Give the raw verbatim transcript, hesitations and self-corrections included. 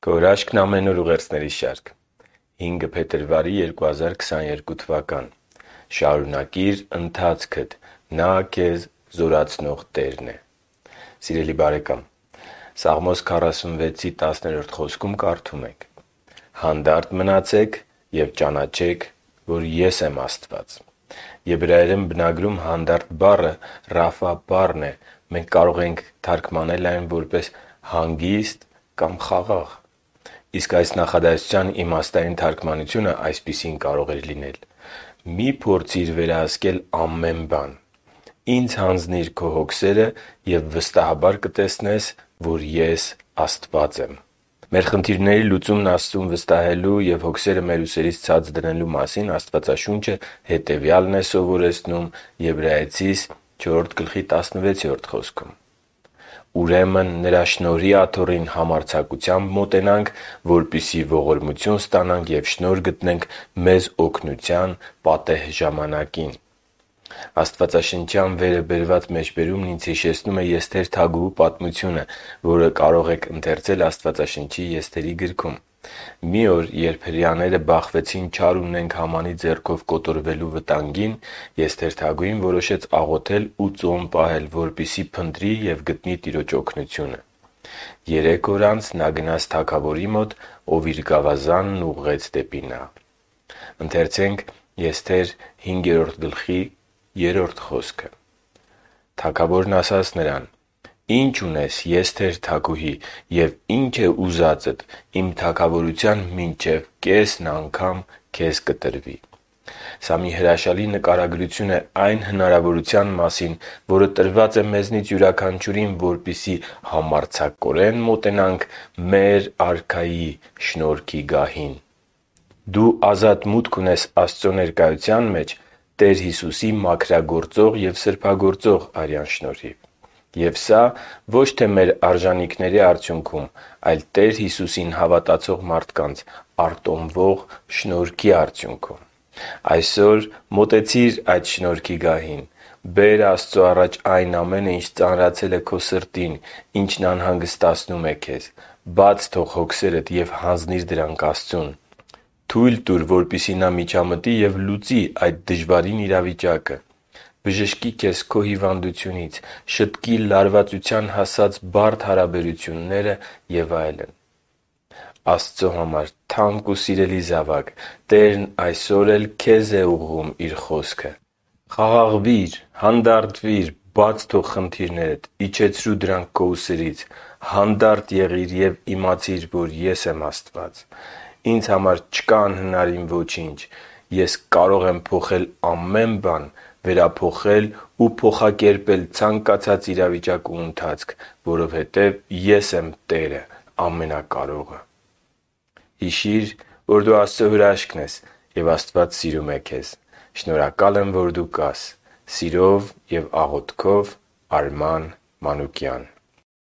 Քո հրաշքն ամեն օր ուղերձների շարք։ հինգ փետրվարի երկու հազար քսաներկու թվական։ Շարունակիր ընթացքդ, Նա քեզ զորացնող Տերն է։ Սիրելի՛ բարեկամ, Սաղմոս քառասունվեցի տասներորդ խոսքում կարդում ենք. «Հանդարտ մնացեք և ճանաչեք, որ Ես եմ Աստված»։ Եբրայերեն բնագրում հանդարտ բառը «Ռաֆա» բառն է։ Մենք կարող ենք թարգմանել այն որպես հանգիստ կամ խաղաղ։ Իսկ այս նախադասության իմաստային թարգմանությունը այսպիսին կարող էր լինել. «Մի՛ փորձիր վերահսկել ամեն բան։ Ինձ հանձնի՛ր քո հոգսերը և վստահաբար կտեսնես, որ Ես Աստված եմ»։ Մեր խնդիրների լուծումն Աստծուն վստահելու և հոգսերը մեր ուսերից ցած դնելու մասին Աստվածաշունչը հետևյալն է սովորեցնում Եբրայեցիս չորրորդ տասնվեցերորդ խոսքում. «Ուրեմն Նրա շնորհի աթոռին համարձակությամբ մոտենանք, որպեսզի ողորմություն ստանանք և շնորհ գտնենք մեզ օգնության պատեհ ժամանակին»։ Աստվածաշնչյան վերը բերված մեջբերումն ինձ հիշեցնում է Եսթեր թագուհու պատմությունը, որը կարող եք ընթերցել Աստվածաշնչի Եսթերի գրքում։ Մի օր, երբ հրեաները բախվեցին չար ունենք Համանի ձեռքով կոտորվելու վտանգին, Եսթեր թագուհին որոշեց աղոթել ու ծոմ պահել, որպեսզի փնտրի և գտնի Տիրոջ օգնությունը։ Երեք օր անց նա գնաց թագավորի մոտ, ով իր գավազանն ուղղեց դեպի նա։ «Թագավորն ասաց նրան. «Ի՞նչ ունես, Եսթեր թագուհի, և ի՞նչ է ուզածդ, իմ թագավորության մինչև կեսն անգամ քեզ կտրվի»։ Սա մի հրաշալի նկարագրություն է այն հնարավորության մասին, որը տրված է մեզնից յուրաքանչյուրին, որպեսզի համարձակորեն մոտենանք մեր Արքայի շնորհքի գահին։ Դու ազատ մուտք ունես Աստծո ներկայության մեջ Տեր Հիսուսի մաքրագործող և սրբագործող արյան շնորհիվ։ Եվ սա ոչ թե մեր արժանիքների արդյունքում, այլ Տեր Հիսուսին հավատացող մարդկանց արտոնվող շնորհքի արդյունքում։ Այսօր մոտեցի՛ր այդ շնորհքի գահին։ Բե՛ր Աստծո առաջ այն ամենը, ինչ ծանրացել է քո սրտին, ինչն անհանգստացնում է քեզ։ Բաց թող հոգսերդ և հանձնի՛ր դրանք Աստծուն։ Թույլ տուր, որպեսզի Նա միջամտի և լուծի այդ դժվարին իրավիճակը։ Բժշկի քեզ քո հիվանդությունից, շտկի լարվածության հասած բարդ հարաբերությունները և այլն։ Աստծո համար թանկ ու սիրելի զավակ, Տերն այսօր էլ քեզ է ուղղում Իր խոսքը։ Խաղաղվի՛ր, հանդարտվի՛ր, բաց թող խնդիրներդ, իջեցրու դրանք քո ուսերից։ Հանդարտ եղի՛ր և իմացի՛ր, որ Ես եմ Աստված։ Ինձ համար չկա անհնարին ոչինչ։ Ես կարող եմ փոխել ամեն բան, վերափոխել ու փոխակերպել ցանկացած իրավիճակ ու ընթացք, որովհետև Ես եմ Տերը Ամենակարողը։ Հիշի՛ր, որ դու Աստծո հրաշքն ես, և Աստված սիրում է քեզ։ Շնորհակալ եմ, որ դու կա՛ս։ Սիրով և աղոթքով, Արման Մանուկյան։